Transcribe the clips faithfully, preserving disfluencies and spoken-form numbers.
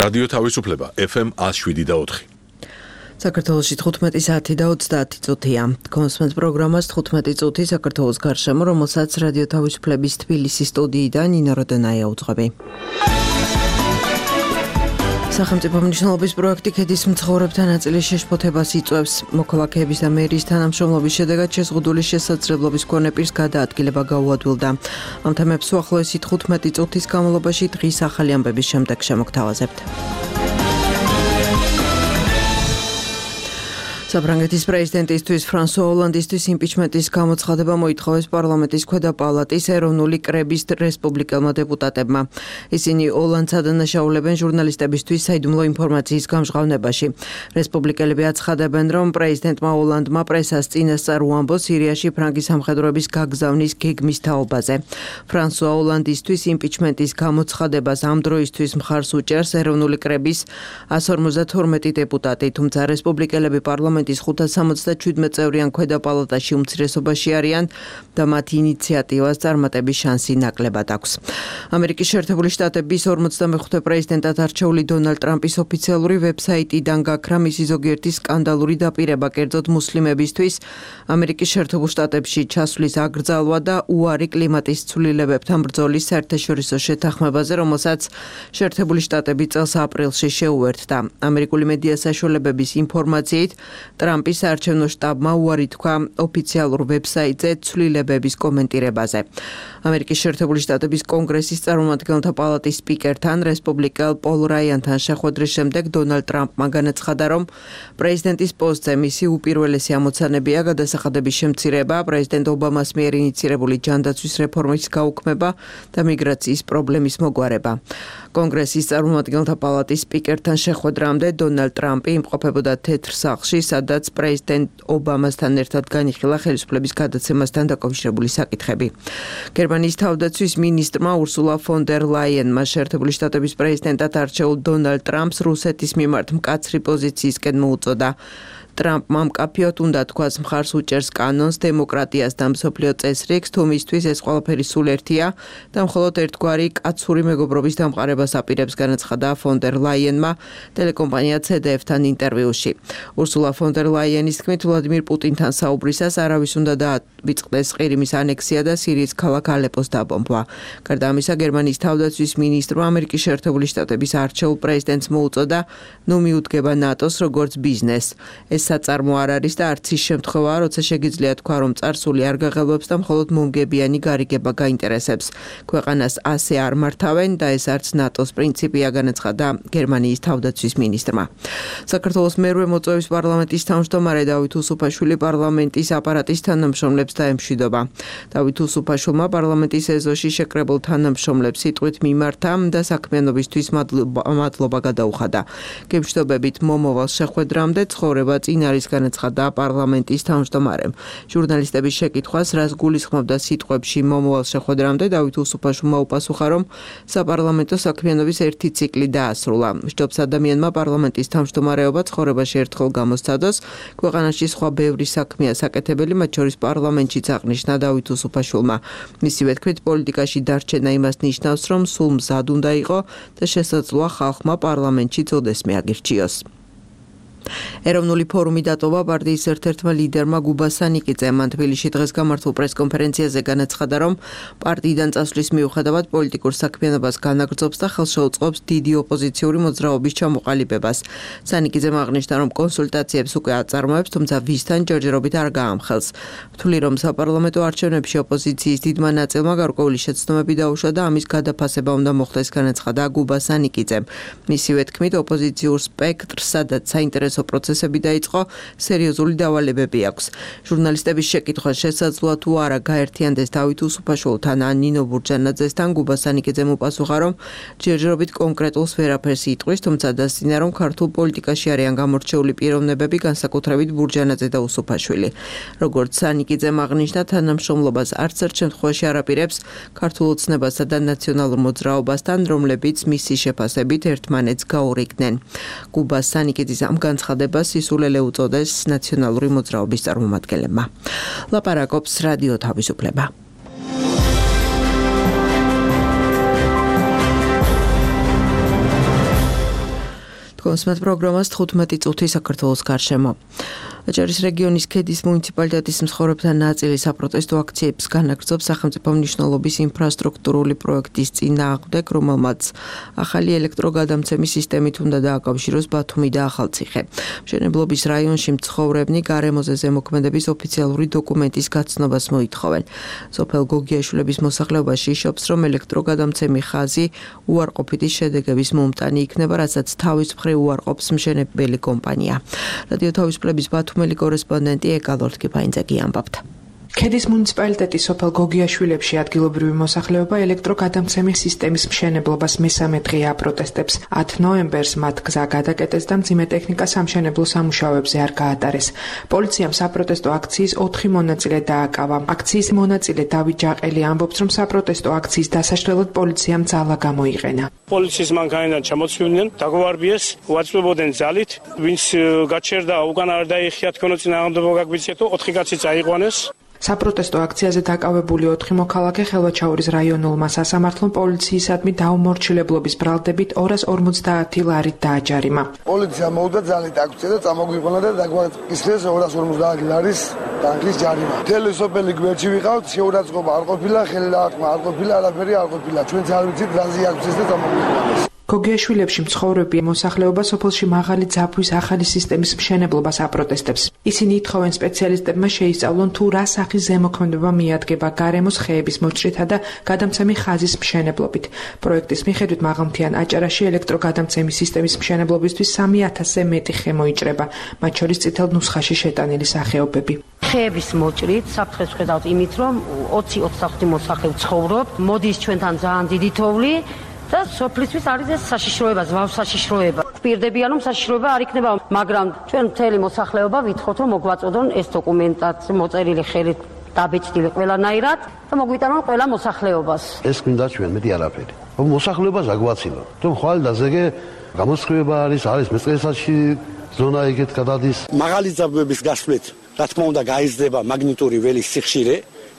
რადიო თავისუფლება ეფ ემ ათს შვიდი და ოთხი. საქართველოში თხუთმეტი საათი და ოცდაათი წუთია. კონსმენთ პროგრამას თხუთმეტი წუთი საქართველოს გარშემო, რომელსაც რადიო თავისუფლების თბილისის სტუდიიდან ნინო როდენაია უძღვები. სახელმწიფო მნიშვნელობის პროექტი ქედის მცხოვრებთა ნაწილის შეშფოთებას იწვევს. მოქალაქეების და მერის თანამშრომლობის შედეგად შეზღუდული შესაძლებლობის მქონე პირს გადაადგილება გაუადვილდა. ამ თემებს უახლოესი თხუთმეტი წუთის განმავლობაში დღის ახალი ამბების შემდეგ შემოგთავაზებთ. საფრანგეთის პრეზიდენტისთვის ფრანსუა ოლანდისთვის იმპიჩმენტის გამოცხადება მოითხოვეს პარლამენტის ქვედა პალატის ეროვნული კრების რესპუბლიკელმა დეპუტატებმა. ისინი ოლანდს ადანაშაულებენ ჟურნალისტებისთვის საიდუმლო ინფორმაციის გამჟღავნებაში. რესპუბლიკელები აცხადებენ, რომ პრეზიდენტმა ოლანდმა პრესას წინასწარ უამბო სირიაში ფრანგი სამხედროების გაგზავნის გეგმის თაობაზე. ფრანსუა ოლანდისთვის იმპიჩმენტის გამოცხადებას ამ დროისთვის მხარს უჭერს ეროვნული კრების ასი ორმოცდათორმეტი დეპუტატი, თუმცა რესპუბლიკელები პარლამენტის პარლამენტის ხუთას სამოცდაჩვიდმეტ წევრიან ქვედა პალატაში უმცირესობაში არიან და მათი ინიციატივას წარმატების შანსი ნაკლებად აქვს. ამერიკის შეერთებული შტატების ორმოცდამეხუთე პრეზიდენტად არჩეული დონალდ ტრამპის ოფიციალური ვებსაიტიდან გაქრა მისი ზოგიერთი სკანდალური დაპირება, კერძოდ მუსლიმებისთვის ამერიკის შეერთებულ შტატებში ჩასვლის აკრძალვა და უარი კლიმატის ცვლილებებთან ბრძოლის საერთაშორისო შეთანხმებაზე, რომელსაც შეერთებული შტატები წელს აპრილში შეუერთდა. ამერიკული მედია საშუალებების ინფორმაციით ტრამპის საარჩევნო შტაბმა უარი თქვა ოფიციალურ ვებსაიტზე ცვლილებების კომენტირებაზე. ამერიკის შეერთებული შტატების კონგრესის წარმომადგენელთა პალატის სპიკერთან, რესპუბლიკელ პოლ რაიანთან შეხვედრის შემდეგ დონალდ ტრამპმა განაცხადა, რომ პრეზიდენტის პოსტზე მისი უპირველესი ამოცანებია გადასახადების შემცირება, პრეზიდენტ ობამას მიერ ინიცირებული ჯანდაცვის რეფორმის გაუქმება და მიგრაციის პრობლემის მოგვარება. კონგრესის წარმომადგენელთა პალატის სპიკერთან შეხვედრამდე დონალდ ტრამპი იმყოფებოდა თეთრ სახლში, სადაც პრეზიდენტ ობამასთან ერთად განიხილა ხელისუფლების გადაცემასთან დაკავშირებული საკითხები. გერმანიის თავდაცვის მინისტრმა ურსულა ფონ დერ ლაიენმა შეერთებული შტატების პრეზიდენტად არჩეულ დონალდ ტრამპს რუსეთის მიმართ მკაცრი პოზიციისკენ მოუწოდა. ტრამპმა მკაფიოდ უნდა თქვას მხარს უჭერს კანონს, დემოკრატიას და მსოფლიო წესრიგს, თუ მისთვის ეს ყველაფერი სულ ერთია და მხოლოდ ერთგვარი კაცური მეგობრობის დამყარებას აპირებს, განაცხადა ფონ დერ ლაიენმა ტელეკომპანია ცე დე ეფ-თან ინტერვიუში. ურსულა ფონ დერ ლაიენის თქმით, ვლადიმირ პუტინთან საუბრისას არავის უნდა დაავიწყდეს ყირიმის ანექსია და სირიის ქალაქ ალეპოს დაბომბვა. გარდა ამისა, გერმანიის თავდაცვის მინისტრმა ამერიკის შეერთებული შტატების არჩეულ პრეზიდენტს მოუწოდა, ნუ მიუდგება ნატოს როგორც ბიზნესს. ეს საწარმო არ არის და არც ის შემთხვევაა, როცა შეგიძლია თქვა, რომ წარსული არ გაღელვებს და მხოლოდ მომგებიანი გარიგება გაინტერესებს. ქვეყანას ასე არ მართავენ და ეს არც ნატოს პრინციპია, განაცხადა გერმანიის თავდაცვის მინისტრმა. საქართველოს მერვე მოწვევის პარლამენტის თავმჯდომარე დავით უსუფაშვილი პარლამენტის აპარატის თანამშრომლებს დაემშვიდობა. დავით უსუფაშვილმა პარლამენტის ეზოში შეკრებულ თანამშრომლებს სიტყვით მიმართა და საქმიანობისთვის მადლობა გადაუხადა. გემშვიდობებით მომავალ შეხვედრამდე ცხოვრება წინ არის, განაცხადა პარლამენტის თავმჯდომარემ. ჟურნალისტების შეკითხვას, რას გულისხმობდა სიტყვებში მომავალ შეხვედრამდე, დავით უსუფაშვილმა უპასუხა, რომ საპარლამენტო საქმიანობის ერთი ციკლი დაასრულა. სჯობს ადამიანმა პარლამენტის თავმჯდომარეობა ცხოვრებაში ერთხელ გამოსცადოს. ქვეყანაში სხვა ბევრი საქმეა საკეთებელი, მათ შორის პარლამენტშიც აღნიშნა დავით უსუფაშვილმა. მისივე თქმით, პოლიტიკაში დარჩენა იმას ნიშნავს, რომ სულ მზად უნდა იყო და შესაძლოა ხალხმა პარლამენტში წოდესმე აგირჩიოს. ეროვნული ფორუმი დატოვა პარტიის ერთ-ერთმა ლიდერმა გუბა სანიკიძემ. მან თბილისში დღეს გამართულ პრეს-კონფერენციაზე განაცხადა, რომ პარტიიდან წასვლის მიუხედავად პოლიტიკურ საქმიანობას განაგრძობს და ხელს შეუწყობს დიდი ოპოზიციური მოძრაობის ჩამოყალიბებას. სანიკიძემ აღნიშნა, რომ კონსულტაციებს უკვე აწარმოებს, თუმცა ვისთან ჯერჯერობით არ გაამხელს. თვლი, რომ საპარლამენტო არჩევნებში ოპოზიციის დიდმა ნაწილმა გარკვეული შეცდომები დაუშვა და ამის გადაფასება უნდა მოხდეს, განაცხადა გუბა სანიკიძემ. მისივე თქმით, ოპოზიციურ სპექტრს, სადაც საინტერესო პროცესები დაიწყო, სერიოზული დავალებები აქვს. ჟურნალისტების შეკითხვას, შესაძლოა თუ არა გაერთიანდეს დავით უსუფაშვილთან ან ნინო ბურჯანაძესთან, გუბა სანიკიძემ უპასუხა, რომ ჯერჯერობით კონკრეტულს ვერაფერს იტყვის, თუმცა დასძინა, რომ ქართულ პოლიტიკაში არიან გამორჩეული პიროვნებები, განსაკუთრებით ბურჯანაძე და უსუფაშვილი. როგორც სანიკიძემ აღნიშნა, თანამშრომლობას არც ერთ შემთხვევაში არ აპირებს ქართულ ოცნებასა და ნაციონალურ მოძრაობასთან, რომლებიც მისი შეფასებით ერთმანეთს გაურიგდნენ. გუბა სანიკიძის ამ განცხადებას სისულელე უწოდეს ნაციონალური მოძრაობის წარმომადგენლებმა. ლაპარაკობს რადიო თავისუფლება. თქოსმეთ პროგრამას თხუთმეტი წუთი საქართველოს გარშემო. აჭარის რეგიონის ქედის მუნიციპალიტეტის მსხვილებთან ნაწილი საპროტესტო აქციებს განაგრძობს სახელმწიფო მნიშვნელობის ინფრასტრუქტურული პროექტის წინააღმდეგ, რომელმაც ახალი ელექტროგადამცემის სისტემით უნდა დააკავშიროს ბათუმი და ახალციხე. მშენებლობის რაიონში მცხოვრებნი გარემოზე ზემოქმედების ოფიციალური დოკუმენტის გაცნობას მოითხოვენ. სოფელ გოგიაშვილების მოსახლეობაში იშობს, რომ ელექტროგადამცემი ხაზი უარყოფითი შედეგების მომტანი იქნება, რასაც თავის მხრივ უარყოფს მშენებელი კომპანია. რადიო თავისუფლების ბათუმელი კორესპონდენტი ეკალორთ კიფაინძეგი ამბობთ. ქედის მუნიციპალიტეტის სოფელ გოგიაშვილებში ადგილობრივი მოსახლეობა ელექტროგადამცემის სისტემის მშენებლობას მესამე დღე აპროტესტებს. ათი ნოემბერს მათ გზა გადაკეტეს და მძიმე ტექნიკა სამშენებლო სამუშაოებზე არ გაატარეს. პოლიციამ საპროტესტო აქციის ოთხი მონაწილე დააკავა. აქციის მონაწილე დავით ჯაყელი ამბობს, რომ საპროტესტო აქციის დასაშლელად პოლიციამ ძალა გამოიყენა. პოლიციის მანქანიდან ჩამოწვიდნენ, დაგვარბიეს, უაწვებოდნენ ძალით, ვინც გაჩერდა, უკან არ დაიხია თქონო წინააღმდეგობა გაგვიწიეთო, ოთხი კაცი წაიყვანეს. საპროტესტო აქციაზე დაკავებული ოთხი მოქალაქე ხელვაჩაურის რაიონულმა სასამართლომ პოლიციისადმი დაუმორჩილებლობის ბრალდებით ორას ორმოცდაათი ლარით დააჯარიმა. პოლიცია მოვიდა ძალით აქცია და წამოგვიყონა და დაგვაკისრეს ორას ორმოცდაათი ლარის ტანკის ჯარიმა. მთელი სოფელი გვერდში ვიყავთ, შეურაცხყოფა არ ყოფილა, ხელი დაარტყმა არ ყოფილა, არაფერი არ ყოფილა. ჩვენც არ ვიცით რაზე აქციეს და წამოგვიყონეს. გოგიაშვილებში მცხოვრები მოსახლეობა სოფელში მაღალი ძაბვის ახალი სისტემის მშენებლობას აპროტესტებს. ისინი ითხოვენ სპეციალისტებმა შეისწავლონ თუ რა სახის ზემოქმედება მიადგება გარემოს ხეების მოჭრითა და გადამცემი ხაზის მშენებლობით. პროექტის მიხედვით მაღალმთიან აჭარაში ელექტროგადამცემის სისტემის მშენებლობისთვის სამი ათასზე მეტი ხე მოიჭრება, მათ შორის წითელ ნუსხაში შეტანილი სახეობები. ხეების მოჭრით საფრთხეს ვხედავთ იმით, რომ ოცი ოცდახუთი მოსახლე ცხოვრობ, მოდის ჩვენთან ძალიან დიდი თოვლი. და სოფლისთვის არის ეს საშიშროება, ზვავ საშიშროება. ვპირდებიან, რომ საშიშროება არ იქნება, მაგრამ ჩვენ მთელი მოსახლეობა ვითხოვთ, რომ მოგვაწოდონ ეს დოკუმენტაცია მოწერილი ხელით დაბეჭდილი ყველანაირად და მოგვიტანონ ყველა მოსახლეობას. ეს მინდა ჩვენ მეტი არაფერი. რომ მოსახლეობას აგვაცილო. რომ ხვალ დაზეგე გამოსხივება არის, არის მეწყერსაში ზონა ეგეთ გადადის. მაღალი ძაბვების გასვლით, რა თქმა უნდა, გაიზრდება მაგნიტური ველის სიხშირე,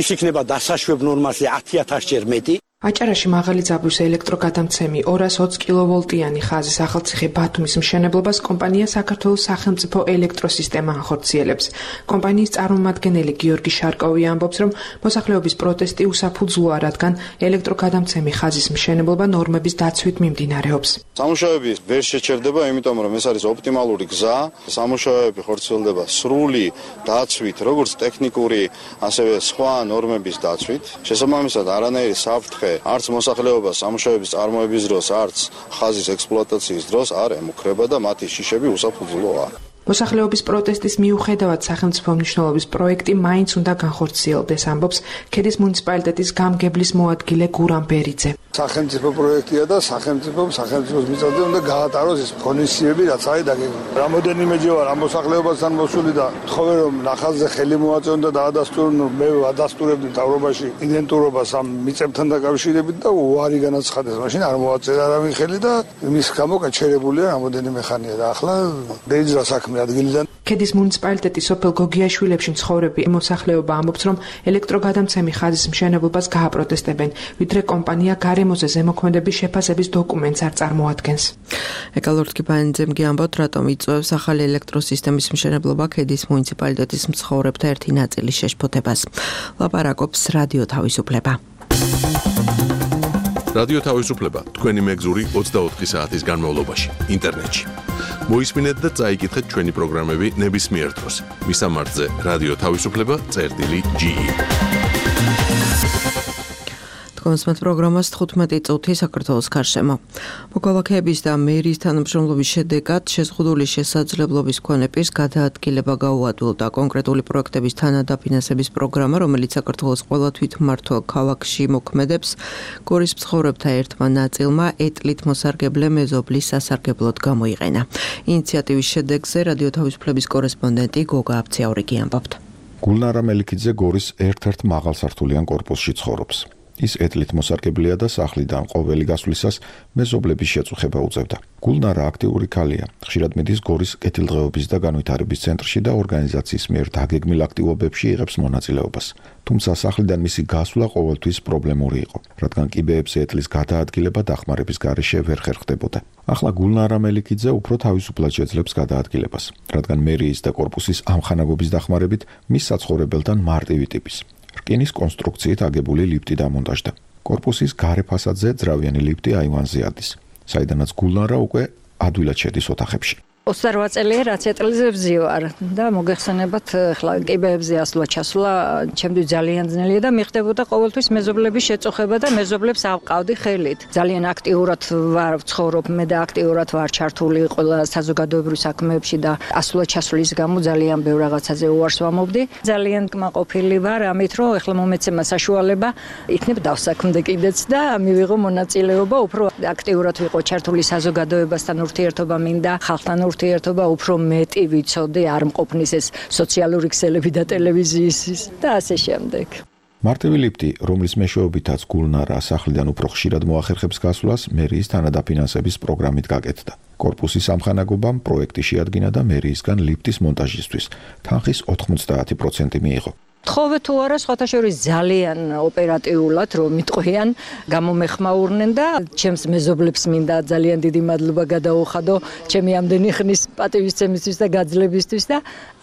ის იქნება დასაშვებ ნორმაზე ათი ათასჯერ მეტი. აჭარაში მაღალი ძაბვის ელექტროგადამცემი ორას ოცი კილოვოლტიანი ხაზის ახალციხე ბათუმის მშენებლობას კომპანია საქართველოს სახელმწიფო ელექტროსისტემა ახორციელებს. კომპანიის წარმომადგენელი გიორგი შარკოვი ამბობს, რომ მოსახლეობის პროტესტი უსაფუძვლოა, რადგან ელექტროგადამცემი ხაზის მშენებლობა ნორმების დაცვით მიმდინარეობს. სამუშაოები ვერ შეჩერდება, იმიტომ რომ ეს არის ოპტიმალური გზა. სამუშაოები ხორციელდება სრული დაცვით, როგორც ტექნიკური, ასევე სხვა ნორმების დაცვით. შესაბამისად, არანაირი საფრთხე არც მოსახლეობას სამუშაოების წარმოების დროს, არც ხაზის ექსპლუატაციის დროს არ ემუქრება და მათი შიშები უსაფუძვლოა. მოსახლეობის პროტესტის მიუხედავად სახელმწიფო მნიშვნელობის პროექტი მაინც უნდა განხორციელდეს, ამბობს ქედის მუნიციპალიტეტის გამგებლის მოადგილე გურამ ბერიძე. სახელმწიფო პროექტია და სახელმწიფო სახელმწიფოს მიწაზე უნდა გაატაროს ეს ღონისძიებები, რაც არის დაგეგმილი. რამოდენიმეჯერ ვარ ამ მოსახლეობასთან მოსული და თხოვე რომ ნახაზზე ხელი მოაწეონ და დაადასტურონ, მე ადასტურებდი მთავრობაში იდენტურობას ამ მიწებთან დაკავშირებით და უარი განაცხადეს. მაშინ არ მოაწერა არავინ ხელი და იმის გამო გაჩერებულია რამოდენიმე ხანია და ახლა დაიძრა საქმე ადგილიდან. ქედის მუნიციპალიტეტის სოფელ გოგიაშვილებში მცხოვრები მოსახლეობა ამბობს, რომ ელექტროგადამცემი ხაზის მშენებლობას გააპროტესტებენ, ვიდრე კომპანია გარემოზე ზემოქმედების შეფასების დოკუმენტს არ წარმოადგენს. ეკალორთ კიფაინძემგი ამბობთ, რატომ იწვევს ახალი ელექტროსისტემის მშენებლობა ქედის მუნიციპალიტეტის მცხოვრებთა ერთი ნაწილის შეშფოთებას. ლაპარაკობს რადიო თავისუფლება. რადიო თავისუფლება თქვენი მეგზური ოცდაოთხი საათის განმავლობაში ინტერნეტში. მოისმინეთ და წაიკითხეთ ჩვენი პროგრამები ნებისმიერ დროს. მისამართზე რადიო თავისუფლება წერტილი ჯი ი. თქოსმეთ პროგრამას თხუთმეტი წუთი საქართველოს გარშემო. მოქალაქეების და მერის თანამშრომლობის შედეგად შეზღუდული შესაძლებლობის მქონე პირს გადაადგილება გაუადვილდა. კონკრეტული პროექტების თანადაფინანსების პროგრამა, რომელიც საქართველოს ყველა თვითმმართველ ქალაქში მოქმედებს, გორის მცხოვრებთა ერთმა ნაწილმა ეტლით მოსარგებლე მეზობლის სასარგებლოდ გამოიყენა. ინიციატივის შედეგზე რადიო თავისუფლების კორესპონდენტი გოგა აბციაურიგი ამბობთ. გულნარა მელიქიძე გორის ერთ-ერთ მაღალსართულიან კორპუსში ცხოვრობს. ის ეტლით მოსარგებლია და სახლიდან ყოველი გასვლისას მეზობლების შეწუხება უწევდა. გულნარა აქტიური ქალია. ხშირად მიდის გორის კეთილდღეობის და განვითარების ცენტრში და ორგანიზაციის მიერ დაგეგმილ აქტივობებში იღებს მონაწილეობას. თუმცა სახლიდან მისი გასვლა ყოველთვის პრობლემური იყო, რადგან კიბეებზე ეტლის გადაადგილება დახმარების გარეშე ვერ ხერხდებოდა. ახლა გულნარა მელიქიძე უფრო თავისუფლად შეძლებს გადაადგილებას, რადგან მერიის და კორპუსის ამხანაგობის დახმარებით მის საცხოვრებელთან მარტივი ტიპის რკინის კონსტრუქციით აგებული ლიფტი დამონტაჟდა. კორპუსის გარე ფასადზე ძრავიანი ლიფტი აივანზე ადის, საიდანაც გულნარა უკვე ადვილად შედის ოთახებში. ოცდარვაათ წელია რაც ეტლზე ვარ და მოგეხსენებათ ახლა კიბეებზე ასვლა ჩასვლა ჩემთვის ძალიან ძნელია და მიხდებოდა ყოველთვის მეზობლების შეწუხება და მეზობლებს ავყავდი ხელით. ძალიან აქტიურად ვარ ვცხოვრობ მე და აქტიურად ვარ ჩართული ყველა საზოგადოებრივ საქმეებში და ასვლა ჩასვლის გამო ძალიან ბევრ რაღაცაზე უარს ვამობდი. ძალიან კმაყოფილი ვარ ამით რომ ახლა მომეცემა საშუალება იქნებ დავსაქმდე კიდეც და მივიღო მონაწილეობა უფრო აქტიურად ვიყო ჩართული საზოგადოებასთან ურთიერთობა მინდა ხალხთან ურთიერთობა უფრო მეტი ვიცოდე არ მყოფნის ეს სოციალური ქსელები და ტელევიზიის და ასე შემდეგ. მარტივი ლიფტი, რომლის მეშვეობითაც გულნარა სახლიდან უფრო ხშირად მოახერხებს გასვლას, მერიის თანადაფინანსების პროგრამით გაკეთდა. კორპუსის ამხანაგობამ პროექტი შეადგინა და მერიისგან ლიფტის მონტაჟისთვის თანხის ოთხმოცდაათი პროცენტი მიიღო. თხოვე თუ არა სხვათა შორის ძალიან ოპერატიულად რომ მიტყვიან გამომეხმაურნენ და ჩემს მეზობლებს მინდა ძალიან დიდი მადლობა გადაუხადო ჩემი ამდენი ხნის პატივისცემისთვის და გაძლებისთვის და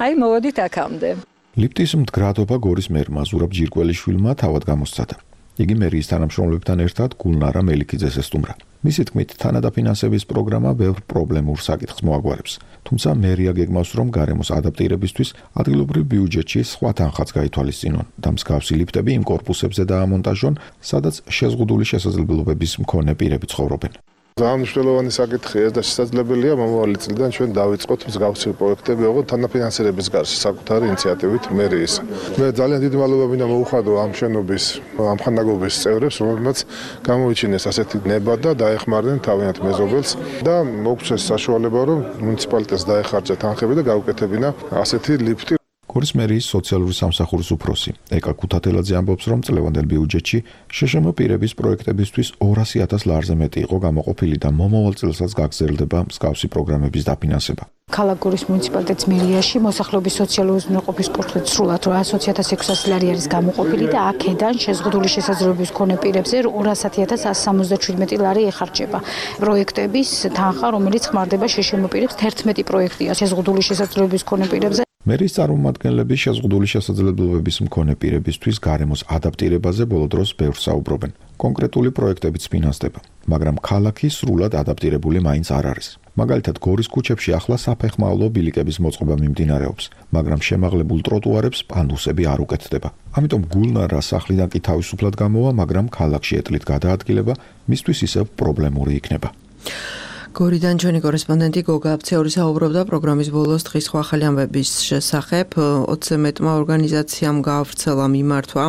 აი მოვედით აქამდე. ლიფტის მდგრადობა გორის მერმა ზურაბ ჯირკველიშვილმა თავად გამოსცადა. იგი მერიის თანამშრომლებთან ერთად გულნარა მელიქიძეს ესტუმრა. მისი თქმით, თანადაფინანსების პროგრამა ბევრ პრობლემურ საკითხს მოაგვარებს. თუმცა მერია გეგმავს, რომ გარემოს ადაპტირებისთვის ადგილობრივ ბიუჯეტში სხვა თანხაც გაითვალისწინონ და მსგავსი ლიფტები იმ კორპუსებზე დაამონტაჟონ, სადაც შეზღუდული შესაძლებლობების მქონე პირები ცხოვრობენ. ძალიან მნიშვნელოვანი საკითხია და შესაძლებელია მომავალი წლიდან ჩვენ დავიწყოთ მსგავსი პროექტები, ოღონდ თანაფინანსირების გარშე საკუთარი ინიციატივით მერიის. მე ძალიან დიდი მადლობა მინდა მოუხადო ამ შენობის ამხანაგობის წევრებს, რომლებმაც გამოიჩინეს ასეთი ნება და დაეხმარნენ თავიანთ მეზობელს და მოგცეს საშუალება, რომ მუნიციპალიტეტს დაეხარჯა თანხები და გაუკეთებინა ასეთი ლიფტი. გორის მერიის სოციალური სამსახურის უფროსი ეკა ქუთათელაძე ამბობს, რომ წლევანდელ ბიუჯეტში შეშმ პირების პროექტებისთვის ორასი ათას ლარზე მეტი იყო გამოყოფილი და მომავალ წელსაც გაგრძელდება მსგავსი პროგრამების დაფინანსება. ქალაქ გორის მუნიციპალიტეტის მერიაში მოსახლეობის სოციალური უზრუნველყოფის კურსით სრულად რვაასი ათას ექვსასი ლარი არის გამოყოფილი და აქედან შეზღუდული შესაძლებლობის მქონე პირებზე ორასი ათას ასი სამოცდაშვიდმეტი ლარი ეხარჯება. პროექტების თანხა, რომელიც ხმარდება შეშმ პირებს, თერთმეტი პროექტია შეზღუდული შესაძლებლობის მქონე პირებზე. მერიის წარმომადგენლები შეზღუდული შესაძლებლობების მქონე პირებისთვის გარემოს ადაპტირებაზე ბოლო დროს ბევრს საუბრობენ. კონკრეტული პროექტებიც ფინანსდება, მაგრამ ქალაქი სრულად ადაპტირებული მაინც არ არის. მაგალითად, გორის ქუჩებში ახლა საფეხმავლო ბილიკების მოწყობა მიმდინარეობს, მაგრამ შემაღლებულ ტროტუარებს პანდუსები არ უკეთდება. ამიტომ გულნარა სახლიდან კი თავისუფლად გამოვა, მაგრამ ქალაქში ეტლით გადაადგილება მისთვის ისევ პრობლემური იქნება. გორიდან ჩვენი კორესპონდენტი გოგა აფცეური საუბრობდა პროგრამის ბოლოს დღის სხვა ახალი ამბების შესახებ. ოცზე მეტმა ორგანიზაციამ გაავრცელა მიმართვა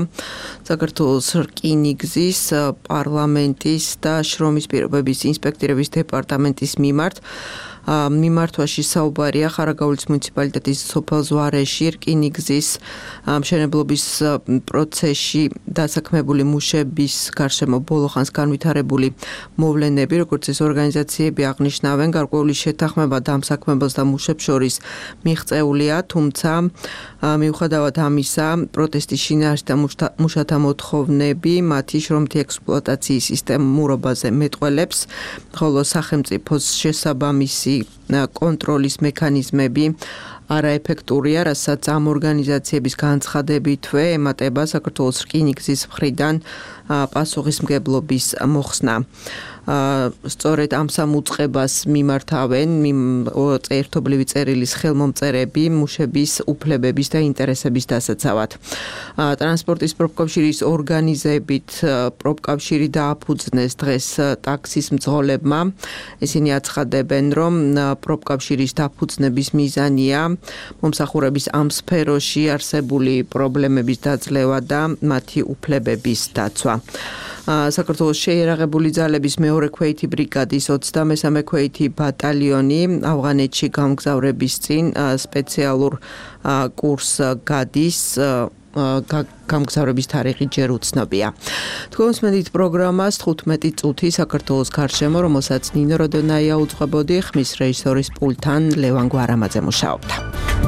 საქართველოს რკინიგზის, პარლამენტის და შრომის პირობების ინსპექტირების დეპარტამენტის მიმართ. მიმართვაში საუბარია ხარაგაულის მუნიციპალიტეტის სოფელ ზვარეში რკინიგზის მშენებლობის პროცესში დასაქმებული მუშების გარშემო ბოლოხანს განვითარებული მოვლენები, როგორც ეს ორგანიზაციები აღნიშნავენ, გარკვეული შეთანხმება დამსაქმებელს და მუშებს შორის მიღწეულია, თუმცა მიუხედავად ამისა, პროტესტის შინაარსი და მუშათა მოთხოვნები მათი შრომითი ექსპლუატაციის სისტემურობაზე მეტყველებს, ხოლო სახელმწიფოს შესაბამისი კონტროლის მექანიზმები არაეფექტურია, რასაც ამ ორგანიზაციების განცხადებითვე ემატება საქართველოს რკინიგზის მხრიდან პასუხისმგებლობის მოხსნა. სწორედ ამ სამუწყებას მიმართავენ ერთობლივი წერილის ხელმომწერები მუშების უფლებების და ინტერესების დასაცავად. ტრანსპორტის პროფკავშირის ორგანიზებით პროფკავშირი დააფუძნეს დღეს ტაქსის მძღოლებმა. ისინი აცხადებენ, რომ პროფკავშირის დაფუძნების მიზანია მომსახურების ამ სფეროში არსებული პრობლემების დაძლევა და მათი უფლებების დაცვა. საქართველოს შეიარაღებული ძალების მეორე ქვეითი ბრიგადის ოცდამესამე ქვეითი ბატალიონი ავღანეთში გამგზავრების წინ სპეციალურ კურსს გადის გამგზავრების თარიღი ჯერ უცნობია. თქვენს მედით პროგრამას თხუთმეტი წუთი საქართველოს გარშემო, რომელსაც ნინო როდონაია უძღვებოდი, ხმის რეჟისორის პულტთან ლევან გვარამაძე მუშაობდა.